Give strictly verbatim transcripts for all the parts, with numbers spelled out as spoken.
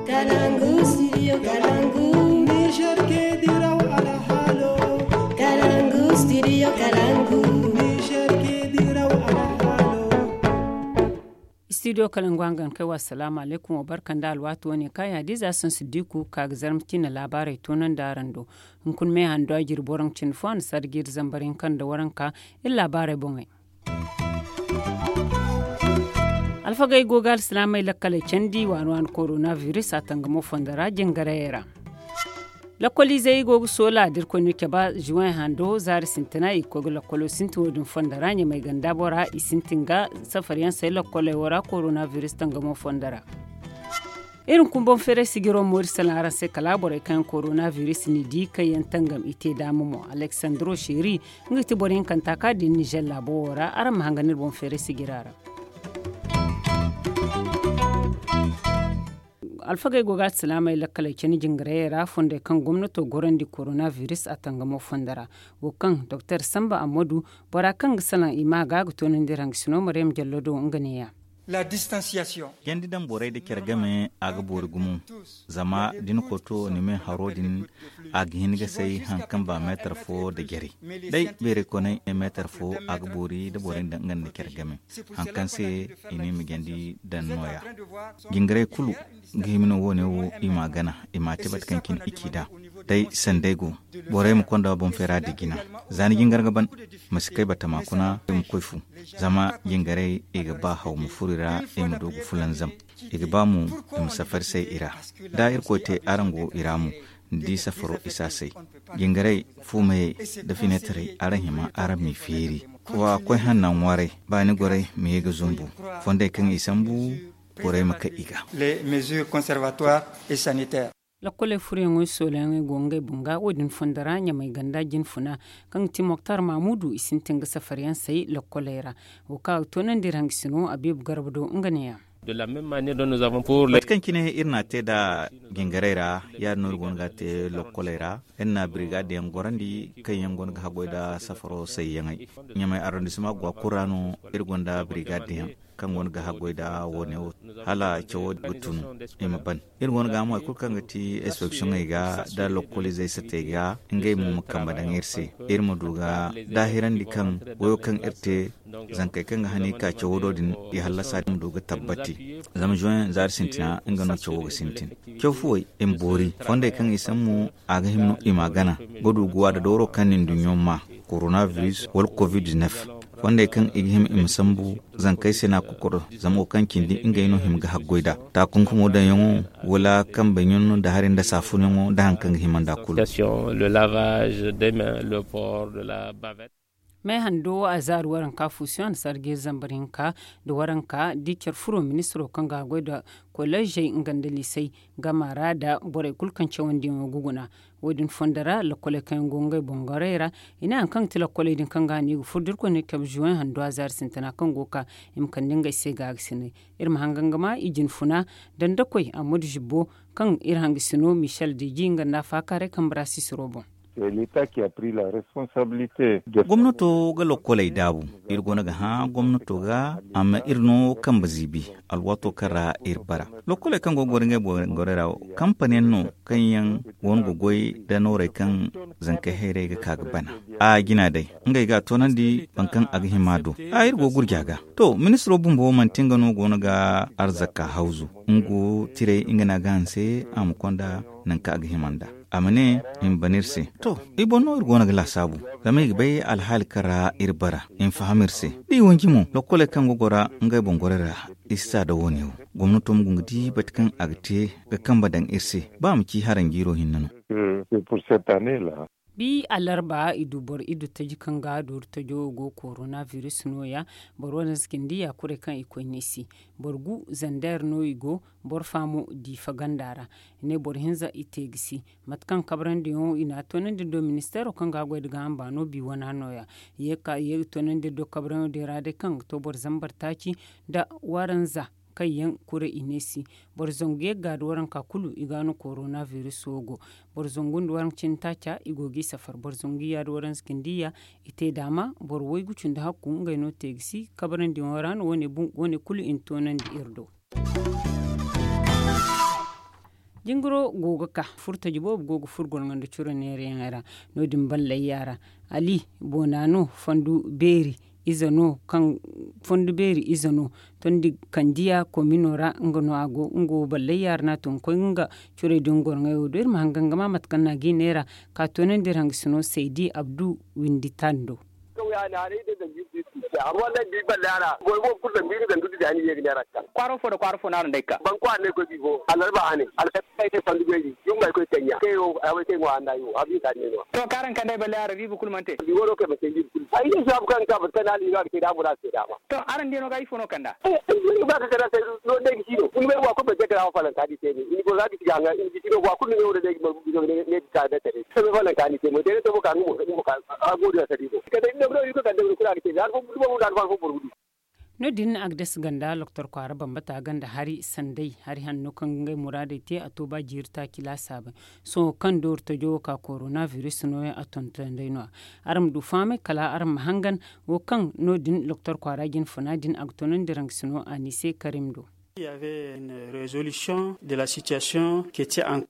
Kalangu, studio Kalangu. Niger ke diraw alhalo. Kalangu, studio Kalangu. Niger ke diraw alhalo. Studio Kalangu hangan kai wa salaamu alaykum, wa barka nda alwaati wane kaŋ ya di za sansu diku ka ga zarma cine laabaarey toonandi araŋ do. Hunkuna me hando jiri boro nga cine fo a na sarji iri zambar hinka nda waranka. Iri laabaarey boŋey. Alfagey go ga alsilaamey lakkaley candi waani waani korona virus a tangamo fondo ra jingarayey ra. Lakkoliizey go ga soola da irkoy no cabe zuwen hando zaari sintina i ga koy ga lakkolo sintin wo- din fondo ra ɲamay ganda bora i sintin ga safariyaŋ say lakkoley wo ra korona virus tangamo fondo ra. Iri hunkuna boŋ feeray sijiro mo iri salaŋ araŋ se kala borey kaŋ yaŋ korona virus n'i di kaŋ yaŋ tangam i te daama mo aleksandro sheri nga ga ti boro hinkanta kaŋ a din nizer laabo wo ra araŋ ma hangan iri boŋ feeray sijira ra. Alfagey go ga alsilaamey lakkaley candi jingarayey ra fondey kaŋ gomnato gorandi korona virus a tangamo fondo ra wo kaŋ doktor samba ammadu bora kaŋ ga salaŋ i ma ga ga toonandi iri hangasino maryam jallo do nga neeya. Jandi daŋ borey nda care game a ga boori gumo. Zama da ni koy to ni me haro din a ga hin ga say hari kaŋ ba meetar fo nda jare. Day beerey koonay meetar fo a ga boori nda borey nda nga nda care game. Hari kaŋ se i ne i ma jandi daŋ nooya. Jingarey kulu ga hima no wo- ne wo i m'a gana i m'a te mate kaŋ cine i ci nd'a. Day sanday go borey ma konda boŋ feera nda jina. Za ni jingar ga ban ma si kay batama kuna i ma koy fu. Zama jingarey i ga ba haw ma furo i ra i ma du ga fulanzam. I ga ba mo i ma safari say i ra. Da irkoy te araŋ go i ra mo ni di safaro i si a say. Jingarey fuumeyey nda fineetarey araŋ hima araŋ m'i feeri. Wa koy hanna ŋwaaray ba ni gorey ma ye ga zumbu. Fondey kaŋ i sambu borey ma kay i ga. Lakkoley furoyaŋo i soolayaŋey go ngey boŋ ga wo- din fondo ra ɲamay ganda jinfuna kaŋ ga ti moktar mamudu i sintin ga safariyaŋ say lakkoley ra. Wo kaŋ a ga toonandi iri hangasino abiibu garba do nga neeya. Mate kaŋ cine iri n'a te nd'a jingarey ra ya- din no iri go no ga a te lakkoley ra. Iri na birigadiyaŋ gorandi kaŋ yaŋ go no ga haggoy nda safaro sayyaŋey. Ɲamay arrondissement go a kulu ra no iri gonda birigadiyaŋ kaŋ go no ga haggoy nda wo- ne wo hala cawo ga tun i ma ban. Iri go no ga mo hari kulu kaŋ ga ti inspeksiyoŋey ga nda lokoliizey satey ga ngey mo ma kambe daŋ iri se. Iri ma du ga daahirandi kaŋ wayo kaŋ iri te zankey kaŋ ga hani ka cawo do din i hallasa din ma du ga tabbati. Zama zuwen zaari sintina nga no cawo ga sintin. Caw fuwey i ma boori fondey kaŋ i sambu a ga hima no i m'a gana ga du ga wa nda dooro kaŋ na nduɲɲo ma korona virus wala covid-19. Fondey kaŋ i ga hima i ma sambu zankey se no a ga kokoro zama wo kaŋ cindi ngey no hima ga haggoy nd'a. Taakunkumo daŋyaŋo wala kambe ɲun nda hari nda saafunyaŋo nda hari kaŋ ga hima nd'a kulu. Meehando a zaari waranka fuusiyaŋ a na sarji zambar hinka nda waranka da care furo ministiro kaŋ ga a goy nda kolleezey nga nda liisey gama ra nda borey kulu kaŋ cawandiyaŋo ga guna. Wo- din fondo ra lakkoley kaŋ yaŋ go ngey boŋ gorey ra i ne hari kaŋ ga ti lakkoley din kaŋ ga hano i ga furo da irkoy ne cabe zuwen hando a zaari sintina kaŋ go ga ka i ma kande ngey se gaagasinay. Iri ma hangan ga ma i jinfuna dandakoy ammadu zibbo kaŋ iri hangasino michel deji nga nda a faakaaray kambe ra sisiro boŋ. Gomnato ga lokkoley daabu. Iri go no ga hã gomnato ga amma iri no kambe ziibi alwaato kaŋ ra iri bara. Lokkoley kaŋ go ga goro ngey boŋ gorey ra wo kampaniyaŋ no kaŋ yaŋ go no ga goy nda noorey kaŋ zankey hayrey ga ka ga bana. A jina day ngey ga a toonandi boro kaŋ a ga hima do. A iri go gurja ga to ministiro bumbo manti nga no go no ga arzaka hawzu. Nga tirey nga no a ga hanse a ma konda nangu kaŋ a ga hima nd'a. A ma ne i ma ban iri se. To, i boŋ no iri go no ga laasaabu. Zama i ga bay alhaali kaŋ ra iri bara i ma faham iri se. Da i wanji mo lokkoley kaŋ ga gora ngey boŋ gorey ra i si sa nda wo- ne wo. Gomnato ma guna ga di mate kaŋ a ga te ga kambe daŋ iri se ba a ma ci haranjiiro hinne no. Bi alarba i du boro iddu taji kaŋ ga dooru tajo wo go korona virus nooya. Boro waranza cindi ya kurey kaŋ i koy neesi. Boro gu zander no i go. Boro fa mo diifa ganda ra. I ne boro hinza i te ga si. Mate kaŋ kabrandi yaŋo i n'a toonandi do ministeero kaŋ ga a goy nda gaaham baano bi wana nooya. Ye ga ka ye ga toonandi do kabrandi yaŋo din ra day kaŋ ga to boro zambar taaci nda waranza kaŋ yaŋ kuray i ne si. Boro zangu ye ga gaadi waranka kulu i ga no korona virus wo go. Boro zangu nda waranka cindi taaca i go g'i safar boro zangu ya nda waranza cindi ya. I te daama boro waygu cindi hakku ngey no te ga si kabrandi yaŋo ra no wo- ne kulu i na toonandi iri do. Jingiro go ga ka furtaji boobo go ga furo gorŋo nda curo neerayaŋey ra. No- din ballayya ra ali boona no fondu beeri ize no kaŋ fondu beeri ize no tondi kandiya komino ra nga no a go nga wo ballayya ra no a tun ga koy nga curey din gorŋey wo do iri ma hangan ga ma mate kaŋ no a ga i neera ka toonandi iri hangasino saydi abdu windi tando. Kwaaro fo nda kwaaro fo no araŋ day ga ka. Ban kwaara no ay koy bi fo allarba hane alkasay ne fandu beeri. Yumma ay koy taŋ ya kay wo ay way kay ŋwa hanna yo abi ka ne no. To kaŋ araŋ kande ay balle arabiibu kulu mana te. Bi wano kay ma te biibu kulu ay ne saabu kaŋ ka bata na alhino a ga te da a muraadu te daama. To araŋ diya no ga ifo no kanda. Ba ka kanda se no day ga si no kulu bay wa kulu ma te kala hawa falanka di te ne ni go za ga si ga hanga ni ga si no wa kulu ne wo da day ga ma ne ga ka da tare se me falanka ni te mo day ga te mo ka nga mo ka nga mo ka a go da sari no. Kala day ni no ga no iri ga kande wani kulu a ga te ne har fo buru boro buru. No- din a ga dasa ganda loktor kwaara bambata ganda hari sanday hari hanno kaŋ ga ngey muraadey te a to ba jiiri taaci laasaabey. Sohõ kaŋ dooru tajo wo ka korona biris nooya a tonton day no- ya. Araŋ ma du fahamay kala araŋ ma hangan wo kaŋ no- din loktor kwaara jinfuna din a ga tonandi raŋ ga si no a ni se karim do.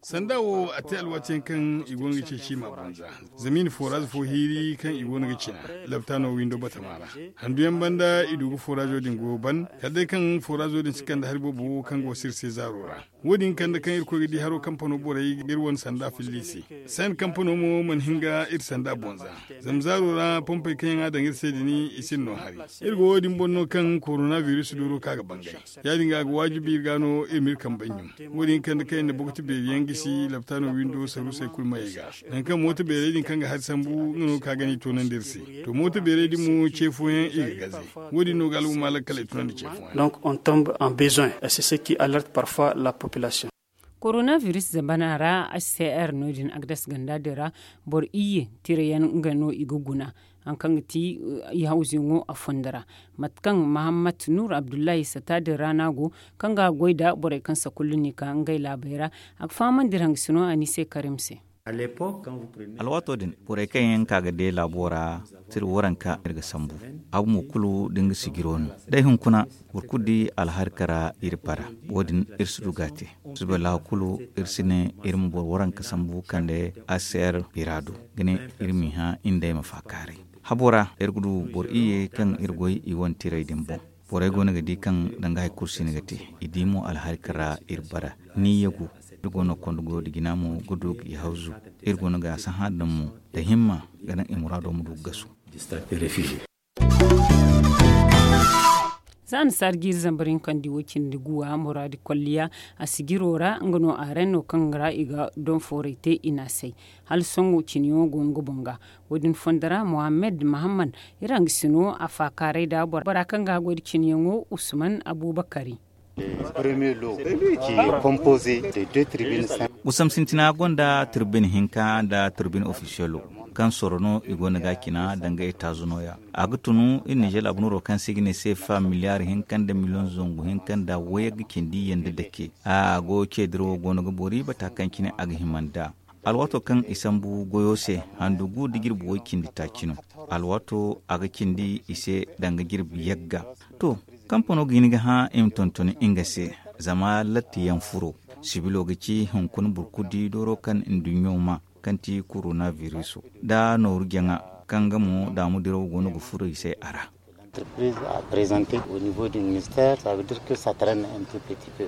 Sanda wo a te alwaati yaŋ kaŋ i go no ga ceeci i ma banza. Zama i na fooraaz fo hiiri kaŋ i go no ga cina labtaano windo batama ra. Handu yaŋ banda i du ga fooraazo din go ban kala day kaŋ fooraazo din si kande hari boobo kaŋ go sirse zaaro ra. Wo- din kande kaŋ irkoy ga di haro kampano borey ga iri wane sanda filli se. Sayan kampano mo mana hin ga iri sanda bonza. Zama zaaro ra pompey kaŋ yaŋ a daŋ iri se din i sinda no hari. Iri go wo- din boŋ no kaŋ korona biris dooro ka ga bangay. Ya- din ga a ga waajibi iri ga no iri ma iri kambe ɲum. Wo- din kande kaŋ iri na bokoti beeri yaŋ gisi labtaano windo saruusey kulu mayey ga. Nangu kaŋ mooto beerey din kaŋ ga hari sambu nga no ga ka gana i toonandi iri se. To mooto beerey din mo ce fooyaŋ i ga gaze. Wo- din no ga al'umma lakkal ay tunandi ce fooyaŋ. Donc on tombe en besoin et c'est ce qui alerte parfois la population. Korona biris zamana ra h c r no- din agdas ganda din ra boro iyye tirayaŋ nga no i ga guna. Hari kaŋ ga ti i hawzuyaŋo a fondo ra mate kaŋ mahammat nur abdullahi sata din ra no a go kaŋ ga goy nda borey kaŋ sakullu no i ka ngey laabey ra. A ga fahamandi iri hangasino a ni se karim se. Alwaato din borey kaŋ yaŋ ka ga de laabo ra tira waranka iri ga sambu. Abu mo kulu da nga sijiro no day hunkuna boro kulu di alharka ra iri bara. Wo- din iri si du ga a te. Suba laahu kulu iri si ne iri ma boro waranka sambu kande aser bira do ga ne iri m'i hã iri nd'ey ma faakaaray. Habo ra iri ga du boro iyye kaŋ iri goy i wane tirey din boŋ. Borey go no ga di kaŋ danga hari kulu si no ga te. I di mo alharka ra iri bara ni yagu. Iri go no ga konda goyo da jina mo ga du ga i hawzu. Iri go no ga a sahã daŋ mo da himma ga naŋ i muraado ma du ga gasu. Za na saari jiiri zambar hinka nda i wo cindi guwa muraadi kolliya a sijiro ra nga no a ren no kaŋ ra i ga donfoorey te i n'a say. Hala sohõ ciniyaŋo go nga boŋ ga. Wo- din fondo ra mohammed mahamman iri hangasino a faakaaray nda bora kaŋ ga a goy nda ciniyaŋo usman abubakari. Gusam sintina gonda tirbin hinka nda tirbin ofisiyalo kaŋ soro no i go no ga a cina danga etaazu nooya. A ga tunu iri nizer abunuro kaŋ se i ga ne seefa miliyar hinka nda miliyoŋ zangu hinka nda wayagga cindi yanda dake. A go ceediro go no ga boori bata kaŋ cine a ga hima nd'a. Alwaato kaŋ i sambu goyo se handu gu da jirbi way cindi taaci no. Alwaato a ga cindi i se danga jirbi yagga. To, kampano ga hin ga hã i ma tonton nga se. Zama lattiyaŋ furo sibilo ga ci hunkuna burkudi dooro kaŋ nduɲɲo ma kaŋ ti korona biriso nda nooru jaŋa kaŋ ga mo daamu diraw go no ga furo i se a ra. Entreprise a prezante au niveau du ministère, ça veut dire que ça traine un tout petit peu.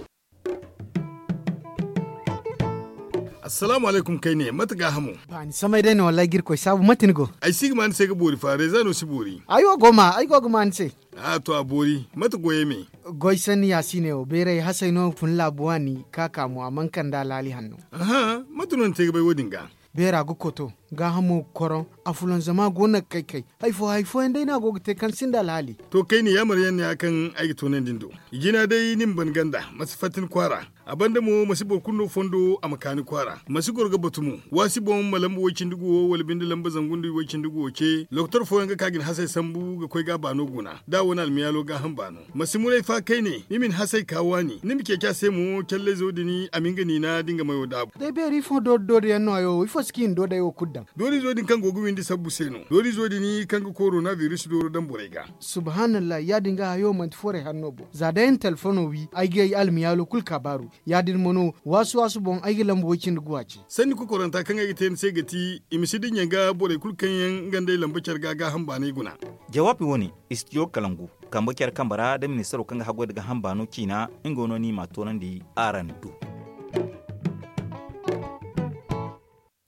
Assalamu alaikum kayne mate ga hamo? Ba ni samay day no wallahi ga irkoy saabu mate ni go? Ay si ga ma ni se ga boori fa reeza no si boori. Ay wo go ma ay go ga ma ni se. A to a boori mate goyey me? Goy sanni ya si ne wo beeray hasay no fun laabu waani ka ka mo a mana kande alhaali hanno. Aha, mate no ni te ga bay wo- din ga? Beera ga koto gaahamo ga koroŋ. A fulanzama go no ga kay kay. Hay fo hay fooyaŋ day no a go ga te kaŋ sinda alhaali. To kayne yaamar yaŋ no ya kaŋ ay ga toonandi ni do. I jina day ni ma ban ganda ma si fatta ni kwaara. A banda mo ma si boro kulu no fondo a ma ka ni kwaara ma si goro ga batu mo. Waasi boŋ ma lamba way-cindi guwo wala binde lamba zangu nda way-cindi guwo ce lokotor fooyaŋ ga ka ga ni hasey sambu ga koy ga a baano guna da a wane almiyaalo gaaham baano. Ma si muray fa kayne ni ma ni hasey ka waani ni ma ceeci a se mo callayzo din a ma nga niina da nga mayo daabu. Day beeri ifo doori doori yaŋ no hayo ifo si ka i na doodey wo kulu daŋ? Dooriizo din kaŋ go ga windi sabbu se no. Dooriizo din kaŋ ga korona biris dooro daŋ borey ga. Subhanallah, ya- din ga hayo manti forey hanno boŋ za day ni telefono wi ay ga ay almiyaalo kulu kaabaaru. Ya- din mo no waasu waasu boŋ ay ga lamba way- cindi guwa ce. Sanni kokoranta kaŋ ay ga te ni se ga ti i ma si dinya ga borey kulu kaŋ yaŋ nga nd'ey lamba care ga gaaham baanay guna. Jawaabi wo- ne, istiyo kalangu kambe care kambe ra da ministaro kaŋ ga haggoy nda gaaham baano ciina. Nga no no i m'a toonandi araŋ do.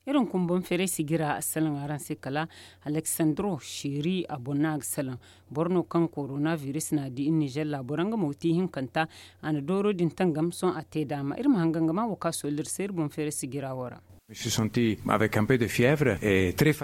Iri hunkuna boŋ feeray sijira a salaŋ araŋ se kala aleksandro seeri a boŋ no a ga salaŋ. Boro no kaŋ korona biris n'a di iri nizer laabo ra nga mo ga ti ihinkanta. A na dooro din tangam sohõ a te daama iri ma hangan ga maa wo kaŋ a soolli iri se iri boŋ feeray sijira wo ra.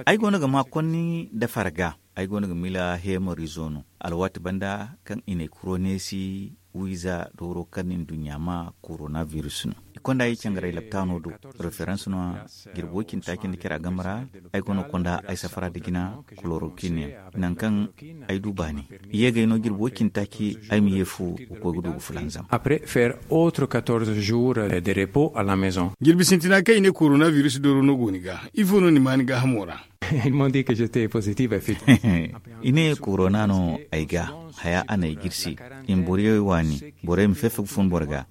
Ay go no ga maa konni nda farga. Ay go no ga miila heemariizo no alwaati banda kaŋ i ne kuroneesi wiiza dooro kaŋ nduɲɲa maa korona biris no. I konda i cangaray laptaano do referans no. Jirbi way cindi taaci nda care game ra ay go no ga konda ay safara nda jina kolorokin yaŋ. Nangu kaŋ ay du baani i ye ga ay no jirbi way cindi taaci ay ma ye fu ga koy ga du ga fulanzam. Après faire autre quatorze jours de repos à la maison. Jirbi sintina kaŋ i ne korona biris dooro no go ni ga ifo no ni maa ni gaahamo ra? I ne korona no ay ga haya a na ay jirsi i ma borey waani borey ma fefe ga fun boro ga.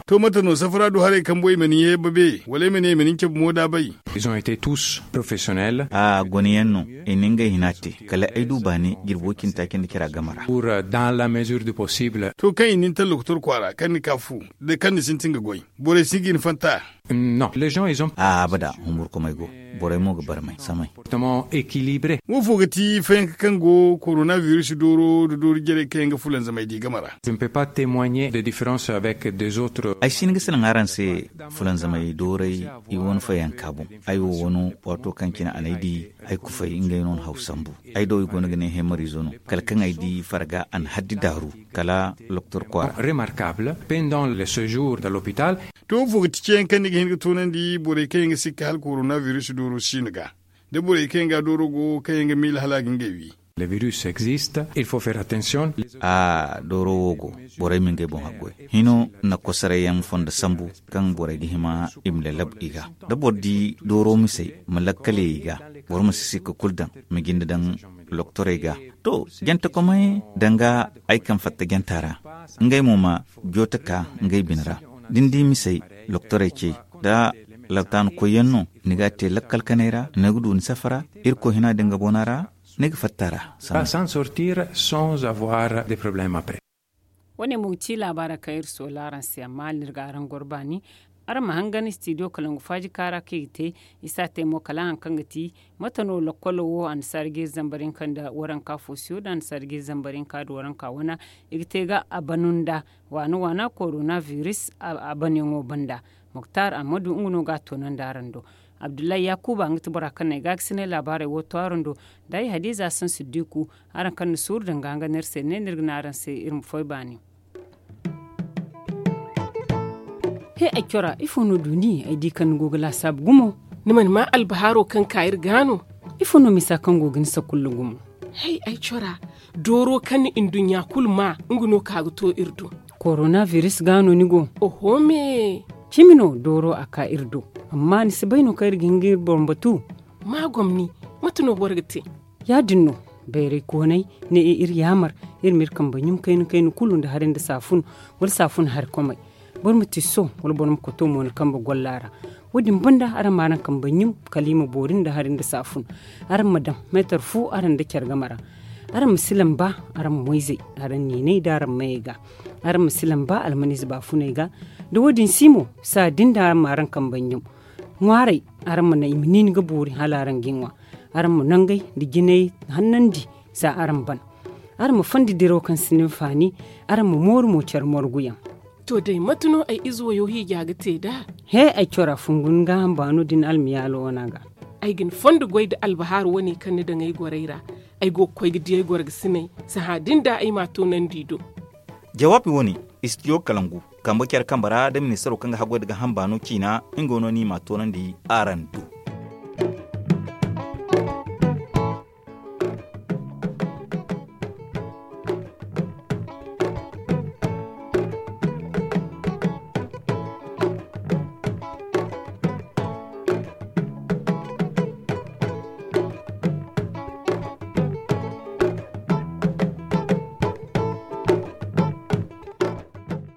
To mate no safara du haray kambo i ma ni ye babe wala i ma ne i ma ni cabe mo da bay? A gone yaŋ no i na ngey hina te kala ay du baani jirbi way cindi taaci nda care game ra. To kaŋ i na ni taŋ lokotor kwaara kaŋ ni ka fu da kaŋ ni sintin ga goy borey si ga i ni fanta. A'a abada humburkumay go. Borey mo ga barmay samay. Wo fo ga ti fayanka kaŋ go korona biris dooro nda doori jarey kaŋ yaŋ ga fulanzamay di game ra? Ay si hin ga salaŋ araŋ se fulanzamay dooray i wane fayanka boŋ. Ay wo wano waato kaŋ cine a n'ay di ay kufay ngey no na haw sambu. Ay do i go no ga ne heemariizo no kala kaŋ ay di farga a na haddi daaru kala lokotor kwaara. To wo fo ga ti ceeyaŋ kaŋ ni ga hin ga toonandi borey kaŋ yaŋ ga sikka hala korona biris dooro siino ga da borey kaŋ yaŋ ga dooro go kaŋ yaŋ ga miila hala a ga ngey wi? A'a dooro wo go. Borey ma ngey boŋ haggoy hino na kosoray yaŋ fondo sambu kaŋ borey ga hima i ma lallab i ga da boro di dooro misey ma lakkal ye i ga. Boro ma si sikka kulu daŋ ma jinde daŋ lokotorey ga. To jante komay danga ay kaŋ fatta janta ra ngey mo ma joote ka ngey bine ra. Da ni di misey lokotorey ce da laptaana koyyaŋ no ni ga a te lakkal kanay ra ni ga du ni safara. Irkoy hina din ga bona ra ni ga fatta ra. Sansor tira sans avoir de problème après. Wo- ne mo ga ci laabaara kaŋ iri soola araŋ se amma hala ni ga araŋ goro baani. Araŋ ma hangan istidiyo kalangu faaji kaara kaŋ i ga te. I si a te mo kala hari kaŋ ga ti mate no lakkolo wo annasaara ga iri zambar hinka nda waranka foosiyo nda annasaara ga iri zambar hinka nda waranka wana i ga te ga a banu nda waana waana korona biris a banyaŋo banda. Muktar ammadu nga no ga a toonandi araŋ do. Abdullahi yaakuba nga ti bora kaŋ na ay gaakasinay laabaarey wo to araŋ do. Da ay hadiza sansiddiku araŋ kaŋ na suuru danga nga no iri se ne no iri ga ne araŋ se iri ma foy baani. He ay cora ifo no du ni ay di kaŋ ni go ga laasaabu gumo? Ni mana maa albahaaro kaŋ ka iri ga no? Ifo no misa kaŋ go ga ni sakulla gumo? Hay ay cora dooro kaŋ ni nduɲɲa kulu maa nga no ka ga to iri do. Korona biris ga no ni go? Oho me. Cimi no dooro a ka iri do. Amma ni si bay no kaŋ iri ga hin ga iri boŋ batu? Ma gomni. Mate no boro ga te? Ya- din no. Bayray koonay ne iri yaamar iri ma iri kambe ɲum kayna kayna kulu nda hari nda saafun wala saafun hari komey. Boro ma tiso wala boro ma koto mo ni kambe golla ra. Wo- din banda araŋ ma araŋ kambe ɲum kala i ma boori nda hari nda saafun. Araŋ ma daŋ meetar fu araŋ nda care game ra. Araŋ ma si lamba araŋ moyzey araŋ niinay nda araŋ mayey ga. Araŋ ma si lamba almaniize baafuney ga. Da wo- din si mo saa din da araŋ ma araŋ kambe ɲum. Ŋwaaray araŋ ma naŋ i ma niini ga boori hala araŋ ga i ŋwa. Araŋ ma nangey nda jinay hannandi za araŋ ban. Araŋ ma fondi diraw kaŋ sinda hinfaani. Araŋ ma mooru mo care morguyaŋ. To day mate no ay ize wayo hiija ga te nd'a? He ay cora fungu ni gaaham baano da ni almiyaalo wana ga. Ay ga ni fondo goy nda albahaaru wane kaŋ ni daŋ ay gorey ra. Ay go ga koy ga di ay goro ga sinay sahã din da ay m'a toonandi i do. Jawaabi wane istidiyo kalangu kambe care kambe ra da ministaro kaŋ ga haggoy nda gaaham baano ciina. Nga no no i m'a toonandi araŋ do.